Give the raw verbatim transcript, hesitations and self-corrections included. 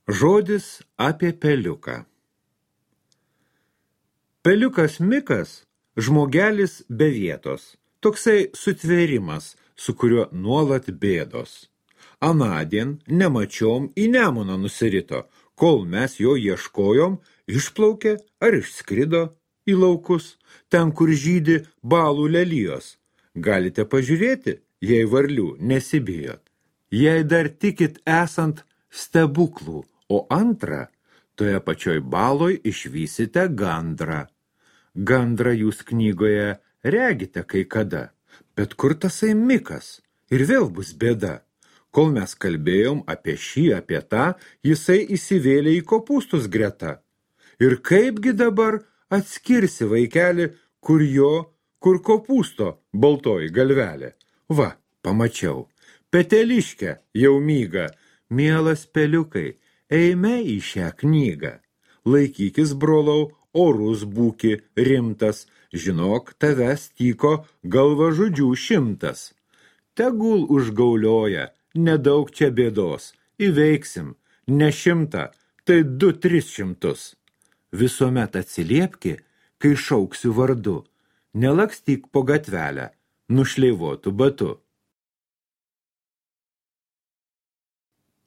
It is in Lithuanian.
Žodis apie peliuką. Peliukas Mikas – žmogelis be vietos, toksai sutvėrimas, su kuriuo nuolat bėdos. Anadien nemačiom į Nemuną nusirito, kol mes jo ieškojom, išplaukė ar išskrido į laukus, ten, kur žydi balų lelijos. Galite pažiūrėti, jei varlių nesibijot. Jei dar tikit esant stebuklų, o antra, toje pačioj baloj išvysite gandrą. Gandrą jūs knygoje regite kai kada, bet kur tasai Mikas? Ir vėl bus bėda. Kol mes kalbėjom apie šį, apie tą, jisai įsivėlė į kopūstus greta. Ir kaipgi dabar atskirsi vaikelį, kur jo, kur kopūsto baltoji galvelė? Va, pamačiau. Peteliškę jau myga. Mielas peliukai, eime į šią knygą. Laikykis, brolau, orus būki rimtas, žinok, tavęs tyko galvažudžių šimtas. Tegul užgaulioja, nedaug čia bėdos, įveiksim, ne šimtą, tai du tris šimtus. Visuomet atsiliepki, kai šauksiu vardu, nelakstyk po gatvelę, nušleivotų batu.